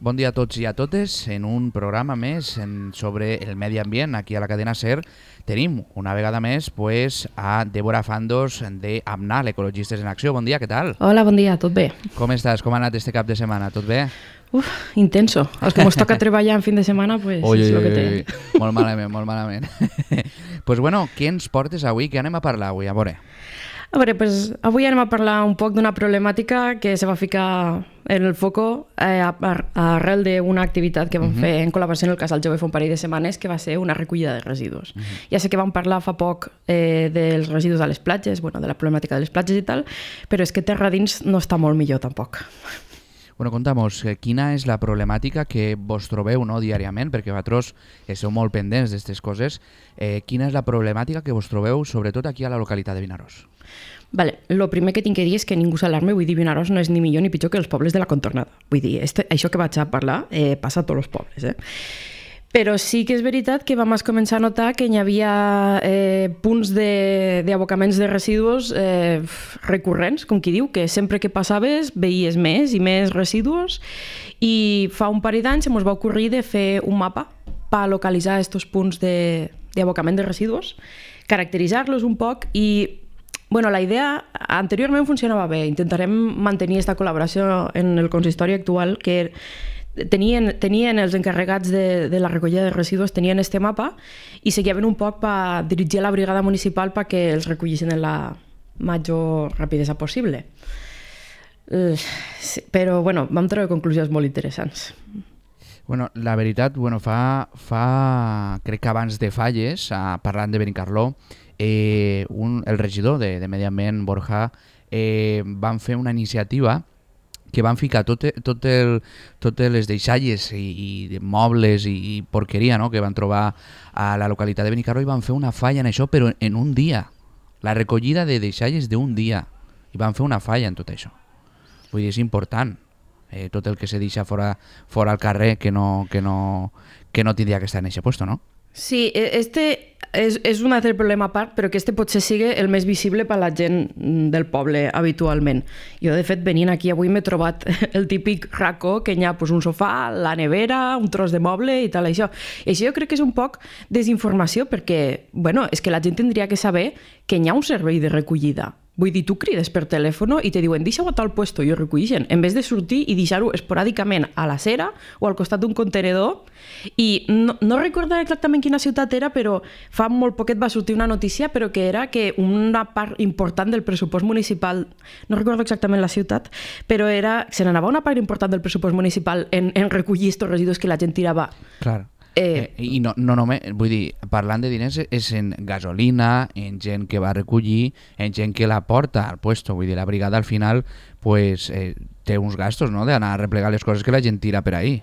Bon dia a tots i a totes. En un programa més sobre el medi ambient aquí a la cadena SER tenim una vegada més a Débora Fandos de AMNAL, Ecologistes en Acció. Bon dia, què tal? Hola, bon dia, tot bé? Com estàs? Com ha anat este cap de setmana? Tot bé? Intenso. Els que ens toca treballar en fin de setmana, pues és el que té. Molt malament, molt malament. Pues bueno, què ens portes avui? Què anem a parlar avui? A veure, avui anem a parlar un poc d'una problemàtica que se va ficar en el foco arrel d'una activitat que vam fer en col·laboració en el Casal Jove fa un parell de setmanes, que va ser una recollida de residus. Ja sé que vam parlar fa poc dels residus a les platges, de la problemàtica de les platges i tal, però és que terra dins no està molt millor tampoc. Bueno, conta'mos, quina és la problemàtica que vos trobeu diàriament, perquè vosaltres esteu molt pendents d'aquestes coses. Quina és la problemàtica que vos trobeu, sobretot aquí a la localitat de Vinaròs? El primer que tinc que dir és que ningú s'alarmi, vull dir, Vinaròs no és ni millor ni pitjor que els pobles de la contornada. Vull dir, això que vaig a parlar passa a tots els pobles, Però sí que és veritat que vam començar a notar que hi havia punts d'abocaments de residus recurrents, com qui diu, que sempre que passaves veies més i més residus, i fa un parell d'anys ens va ocorrir de fer un mapa per localitzar aquests punts d'abocament de residus, caracteritzar-los un poc i la idea anteriorment funcionava bé. Intentarem mantenir aquesta col·laboració en el consistori actual, que tenien els encarregats de la recollida de residus, tenien este mapa i seguien un poc per dirigir la brigada municipal perquè els recollissin en la major rapidesa possible. Però vam treure conclusions molt interessants. La veritat, crec que abans de falles, parlant de Benicarló, el regidor de Medi Ambient, Borja, van fer una iniciativa que van ficar totes les deixalles i mobles i porqueria que van trobar a la localitat de Benicarló, i van fer una falla en això, però en un dia. La recollida de deixalles d'un dia. I van fer una falla en tot això. Vull dir, és important. Tot el que se deixa fora al carrer que no tindria que estar en aquest lloc, no? Sí, este és un altre problema a part, però que potser sigui el més visible per a la gent del poble habitualment. Jo, de fet, venint aquí avui m'he trobat el típic racó que hi ha un sofà, la nevera, un tros de moble i tal, això. I això jo crec que és un poc desinformació, perquè, és que la gent tindria que saber que hi ha un servei de recollida. Vull dir, tu crides per telèfon i te diuen deixa-ho a tal puesto i ho recolleixen, en vez de sortir i deixar-ho esporàdicament a la cera o al costat d'un contenedor. I no recordo exactament quina ciutat era, però fa molt poquet va sortir una notícia, però que era que una part important del pressupost municipal, no recordo exactament la ciutat, però se n'anava una part important del pressupost municipal en recollir aquests residus que la gent tirava. Clar. I no només, vull dir, parlant de diners, és en gasolina, en gent que va recollir, en gent que la porta al puesto. Vull dir, la brigada al final té uns gastos, d'anar a replegar les coses que la gent tira per ahí.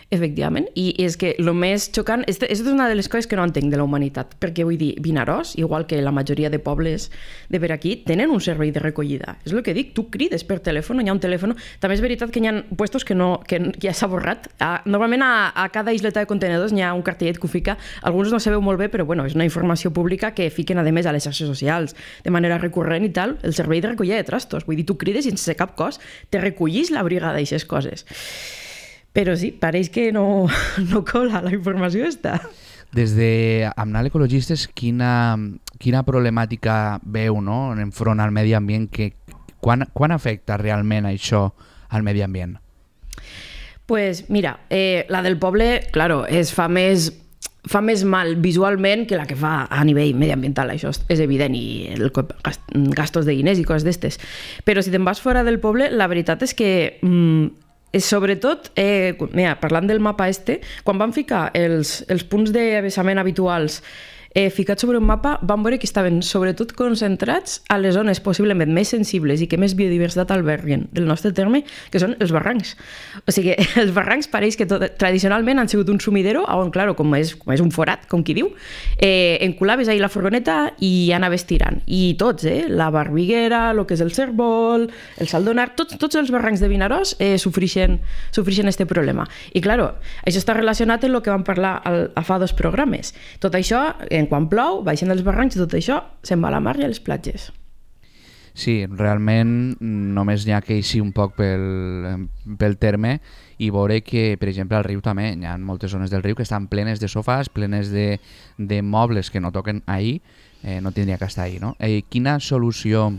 Efectivament, i és que el més xocant, aquesta és una de les coses que no entenc de la humanitat, perquè vull dir, Vinaròs, igual que la majoria de pobles de per aquí, tenen un servei de recollida. És el que dic, tu crides per telèfon, hi ha un telèfon. També és veritat que hi ha puestos que ja s'ha borrat. Normalment a cada isleta de contenedors hi ha un cartellet que ho fica, alguns no sabeu molt bé, però és una informació pública que fiquen a més a les xarxes socials de manera recurrent i tal, el servei de recollida de trastos. Vull dir, tu crides i sense cap cost te recollís la brigada d'aixes coses. Però sí, pareix que no cola la informació està. Des de AMNAL Ecologistes, quina problemàtica veu enfront al medi ambient? Quan afecta realment això al medi ambient? Pues mira, la del poble, claro, fa més mal visualment que la que fa a nivell mediambiental, això és evident, i gastos de diners i coses d'estes. Però si te'n vas fora del poble, la veritat és que sobretot, parlant del mapa quan van ficar els punts d'avessament habituals ficats sobre un mapa, vam veure que estaven sobretot concentrats a les zones possiblement més sensibles i que més biodiversitat alberguen del nostre terme, que són els barrancs. O sigui, els barrancs pareix que tradicionalment han sigut un sumidero on, clar, com és un forat, com qui diu, enculaves ahí la furgoneta i anaves tirant. I tots, la Barbiguera, el que és el Cérvol, el Saldonar, tots els barrancs de Vinaròs sofrixen este problema. I, clar, això està relacionat amb el que vam parlar a fa 2 programes. Tot això, quan plou, baixen dels barrancs i tot això se'n va a la mar i a les platges. Sí, realment només n'hi ha que eixir un poc pel terme i veure que, per exemple, al riu també hi ha moltes zones del riu que estan plenes de sofàs, plenes de mobles que no toquen ahir, no tindria que estar ahir, no? Quina solució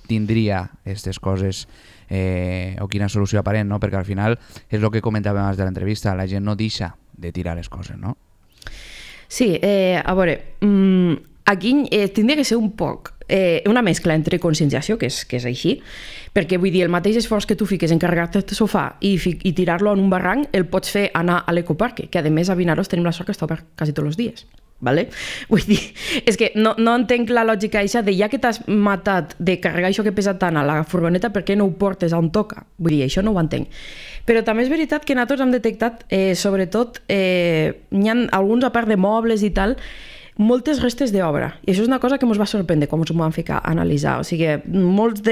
tindria aquestes coses o quina solució aparent, no? Perquè al final és el que comentàvem abans de l'entrevista, la gent no deixa de tirar les coses, no? Sí, a veure, aquí tindria que ser un poc una mescla entre conscienciació, que és així, perquè vull dir, el mateix esforç que tu fiques en carregar-te el sofà i tirar-lo en un barranc, el pots fer anar a l'ecoparc, que a més a Vinaros tenim la sort que està obert quasi tots els dies. Vale? Vull dir, és que no entenc la lògica això de ja que t'has matat de carregar això que pesa tant a la furgoneta, per què no ho portes on toca? Vull dir, això no ho entenc. Però també és veritat que nosaltres hem detectat, sobretot, n'hi ha alguns, a part de mobles i tal, moltes restes d'obra. I això és una cosa que ens va sorprendre quan ens ho vam ficar a analitzar. O sigui, molts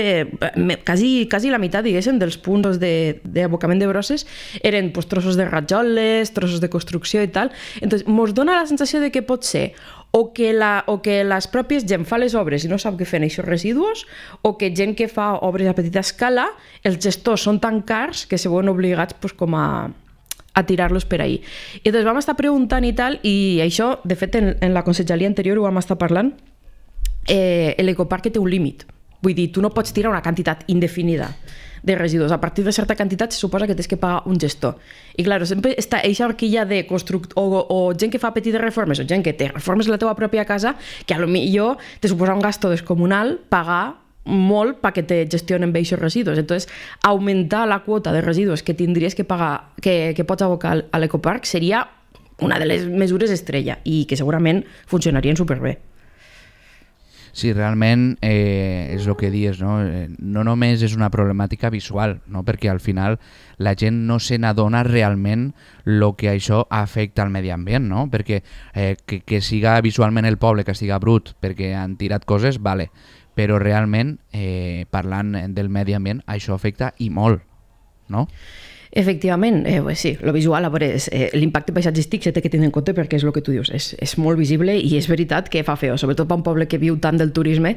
quasi la meitat, diguéssim, dels punts d'abocament de brosses eren pues, trossos de rajoles, trossos de construcció i tal. Entonces, ens dona la sensació de que pot ser o que les pròpies gent fa les obres i no sap què fer en aquests residus, o que gent que fa obres a petita escala, els gestors són tan cars que se veuen obligats pues, com a tirar-los per ahí. I doncs vam estar preguntant i tal, i això, de fet, en la conselleria anterior ho vam estar parlant, l'ecoparc té un límit. Vull dir, tu no pots tirar una quantitat indefinida de residus. A partir de certa quantitat se suposa que tens que pagar un gestor. I, clar, sempre està aquesta horquilla de o gent que fa petites reformes, o gent que té reformes a la teva pròpia casa, que a lo millor te suposa un gasto descomunal pagar molt perquè te gestionen bé aquests residus. Entonces, augmentar la quota de residus que tindries que pagar, que pots abocar a l'ecoparc, seria una de les mesures estrella i que segurament funcionarien superbé. Sí, realment és el que dius, no? No només és una problemàtica visual, no? Perquè al final la gent no se n'adona realment el que això afecta al medi ambient, no? Perquè que siga visualment el poble, que siga brut perquè han tirat coses, vale, però realment, parlant del medi ambient, això afecta i molt, no? Efectivament, pues sí, lo visual, a veure, l'impacte paisatgístic s'ha de tenir en compte perquè és el que tu dius, és molt visible i és veritat que fa feo, sobretot per un poble que viu tant del turisme.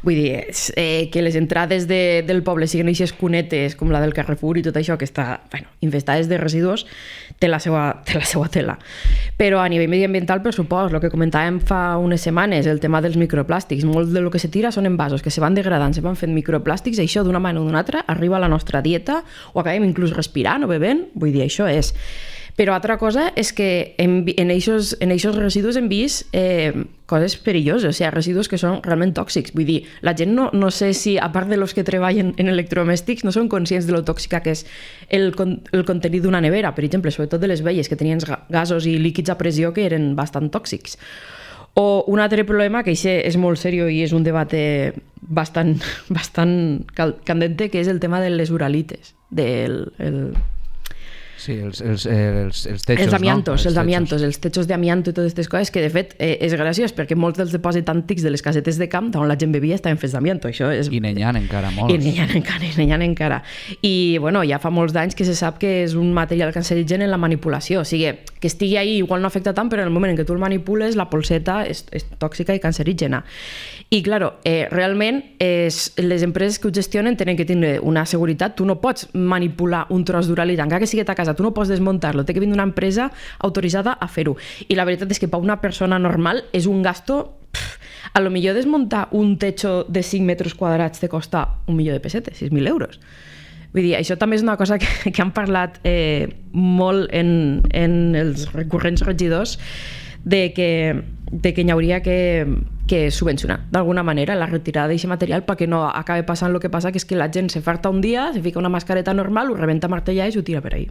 Vull dir, que les entrades del poble siguin aquestes cunetes com la del Carrefour i tot això que està infestades de residus, té la seva tela. Però a nivell mediambiental, per supost, el que comentàvem fa unes setmanes, el tema dels microplàstics, molt del que se tira són envasos que se van degradant, se van fent microplàstics, i això d'una manera o d'una altra arriba a la nostra dieta o acabem inclús respirant o bevent, vull dir, això és. Però altra cosa és que en aquests residus hem vist coses perilloses, o sigui, residus que són realment tòxics. Vull dir, la gent no sé si, a part de los que treballen en electrodomèstics, no són conscients de lo tòxica que és el contenit d'una nevera, per exemple, sobretot de les velles, que tenien gasos i líquids a pressió que eren bastant tòxics. O un altre problema, que això és molt seriós i és un debat bastant candente, que és el tema de les uralites, Sí, els techos, els amiantos, no? els techos d'amianto i totes aquestes coses, que de fet és graciós perquè molts dels dipòsits antics de les casetes de camp on la gent bevia estaven fets d'amianto. I n'hi ha encara molts. I n'hi ha encara. I bueno, ja fa molts d'anys que se sap que és un material cancerigen en la manipulació. O sigui, que estigui ahí igual no afecta tant, però en el moment en què tu el manipules, la polseta és tòxica i cancerígena. I, claro, realment les empreses que ho gestionen tenen que tenir una seguretat. Tu no pots manipular un tros d'uralit, encara que sigui a casa, tu no pots desmuntar-lo, té que vindre una empresa autoritzada a fer-ho. I la veritat és que per una persona normal és un gasto... A lo millor desmuntar un techo de 5 metres quadrats te costa 1 milió de pessetes, 6.000 euros. Vull dir, això també és una cosa que han parlat molt en els recurrents regidors, de que hi hauria que subvencionar d'alguna manera la retirada d'aquest material perquè no acabi passant el que passa, que és que la gent se farta un dia, se fica una mascareta normal, ho rebenta martellades i ho tira per ahí.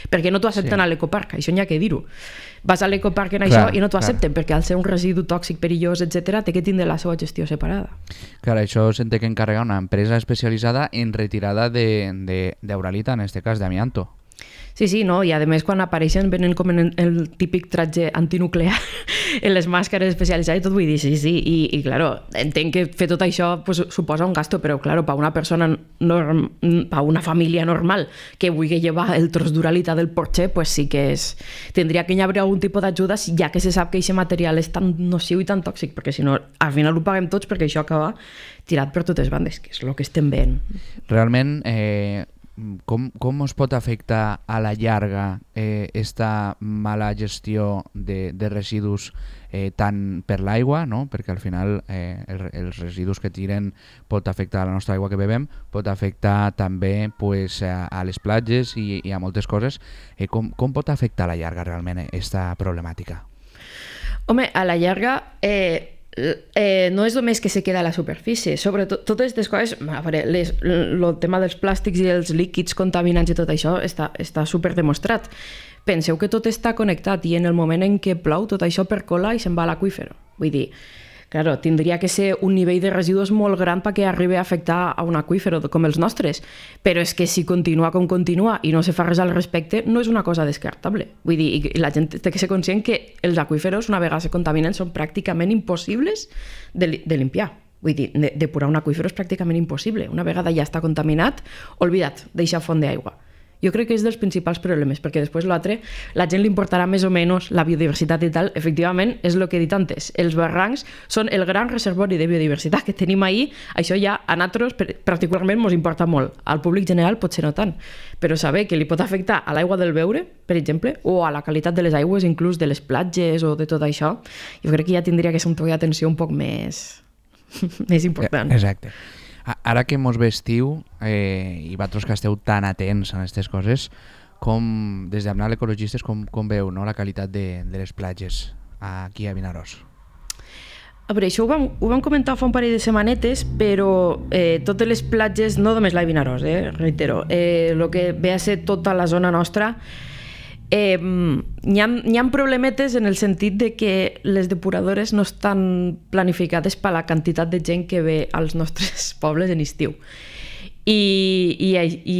Perquè no t'ho accepten a l'ecoparc, això n'hi ha que dir-ho. Vas a l'ecoparc en això i no t'ho accepten perquè al ser un residu tòxic, perillós, etc., té que tindre la seva gestió separada. Clar, això s'ha de encarregar una empresa especialitzada en retirada d'uralita, en aquest cas d'amianto. Sí, no, i a més quan apareixen venen com en el típic tratge antinuclear en les màscares especialitzades i tot, vull dir, sí, i claro, entenc que fer tot això pues, suposa un gasto, però claro, per una persona per una família normal que vulgui llevar el tros d'uralitat del Porsche, pues sí que tindria que hi haver algun tipus d'ajuda, ja que se sap que aquest material és tan nociu i tan tòxic, perquè si no, al final ho paguem tots perquè això acaba tirat per totes bandes, que és el que estem veient. Realment, com es pot afectar a la llarga esta mala gestió de residus tant per l'aigua, no? Perquè al final els residus que tiren pot afectar a la nostra aigua que bevem, pot afectar també pues, a les platges i a moltes coses. Com pot afectar a la llarga realment aquesta problemàtica? Home, a la llarga no és només que se queda a la superfície, sobretot totes aquestes coses, a veure, el tema dels plàstics i els líquids contaminants i tot això està super demostrat. Penseu que tot està connectat i en el moment en què plou tot això percola i se'n va a l'aqüífer. Vull dir, claro, tindria que ser un nivell de residus molt gran perquè arribi a afectar a un aqüífer com els nostres, però és que si continua com continua i no se fa res al respecte, no és una cosa descartable. Vull dir, i la gent té que ser conscient que els aqüíferos, una vegada se contaminen, són pràcticament impossibles de limpiar. Vull dir, depurar un aqüífer és pràcticament impossible. Una vegada ja està contaminat, oblida't, deixa font d'aigua. Jo crec que és dels principals problemes, perquè després l'altre, la gent li importarà més o menys la biodiversitat i tal. Efectivament, és el que he dit antes. Els barrancs són el gran reservori de biodiversitat que tenim ahir. Això ja a nosaltres particularment ens importa molt. Al públic general potser no tant. Però saber que li pot afectar a l'aigua del beure, per exemple, o a la qualitat de les aigües, inclús de les platges o de tot això, jo crec que ja tindria que ser un toc d'atenció un poc més important. Exacte. Ara que mos ve estiu i vosaltres que esteu tan atents a aquestes coses, des d'Amnal Ecologistes, com veu no, la qualitat de les platges aquí a Vinaròs? A veure, això ho vam comentar fa un parell de setmanetes, però totes les platges, no només la de Vinaròs, reitero, el que ve a ser tota la zona nostra, hi ha problemetes en el sentit de que les depuradores no estan planificades per la quantitat de gent que ve als nostres pobles en estiu. I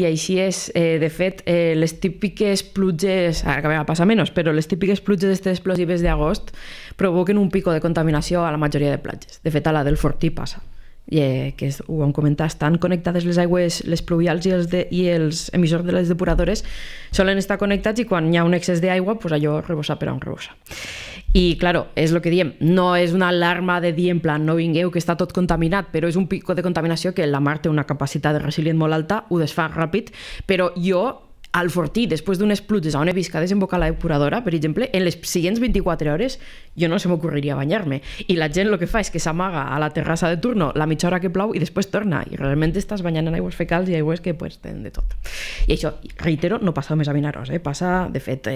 així és. De fet, les típiques pluges, ara que a vegades passa menys, però les típiques pluges explosives d'agost provoquen un pico de contaminació a la majoria de platges. De fet, a la del Fortí passa. Que ho vam comentar, estan connectades les aigües, les pluvials i els emissors de les depuradores solen estar connectats i quan hi ha un excés d'aigua, pues allò rebossa per on rebossa. I, claro, és el que diem, no és una alarma de dir en plan no vingueu que està tot contaminat, però és un pico de contaminació que la mar té una capacitat de resilient molt alta, ho desfà ràpid, però jo al Fortí, després d'unes pluges on he vist que ha desembocat la depuradora, per exemple, en les següents 24 hores jo no se m'ocorreria banyar-me. I la gent el que fa és que s'amaga a la terrassa de turno la mitja hora que plou i després torna. I realment estàs banyant en aigües fecals i aigües que pues, tenen de tot. I això, reitero, no passa només a Vinaròs. Passa, de fet,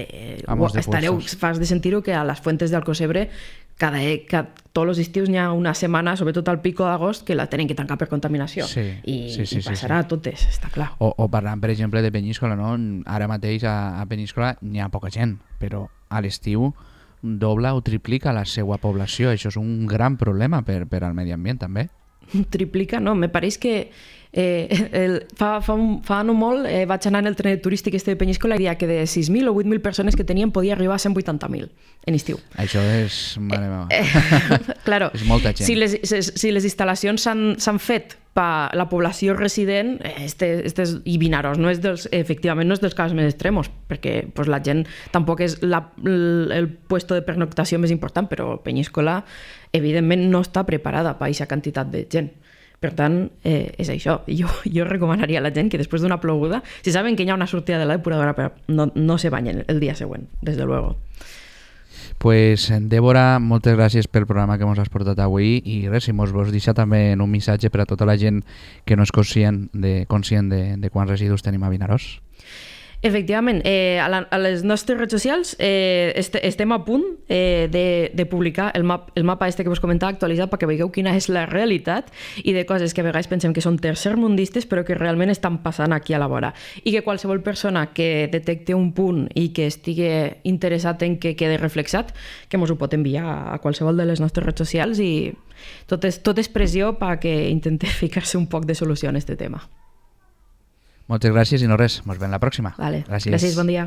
fas de sentir-ho que a les fuentes d'Alcocebre tots els estius n'hi ha una setmana, sobretot al pico d'agost, que la tenen que tancar per contaminació. I passarà a totes, està clar. O parlant, per exemple, de Peníscola, no? Ara mateix a Peníscola n'hi ha poca gent, però a l'estiu dobla o triplica la seva població. Això és un gran problema per al medi ambient, també. Triplica, no, me pareix que fa no molt vaig anar en el tren turístic de Peníscola i deia que de 6.000 o 8.000 persones que tenien podia arribar a 180.000 en estiu. Això és, mare meva, claro, és molta gent. Si les instal·lacions s'han fet per la població resident, i Vinaròs efectivament no és dels casos més extremos, perquè pues, la gent tampoc és el puesto de pernoctació més important, però Peníscola evidentment no està preparada per aquesta quantitat de gent. Per tant, és això. Jo recomanaria a la gent que després d'una ploguda, si saben que hi ha una sortida de la depuradora, no se banyen el dia següent, des de luego. Pues, Débora, moltes gràcies pel programa que ens has portat avui i res, si mos vols deixar també en un missatge per a tota la gent que no és conscient de quants residus tenim a Vinaròs. Efectivament, a les nostres redes socials estem a punt de publicar el mapa que vos comentava actualitzat perquè veieu quina és la realitat i de coses que a vegades pensem que són tercermundistes però que realment estan passant aquí a la vora. I que qualsevol persona que detecte un punt i que estigui interessat en que quede reflexat, que mos ho pot enviar a qualsevol de les nostres redes socials i tot és pressió perquè intentem ficar-se un poc de solució en aquest tema. Moltes gràcies i no res, ens veiem la pròxima. Vale. Gràcies, bon dia.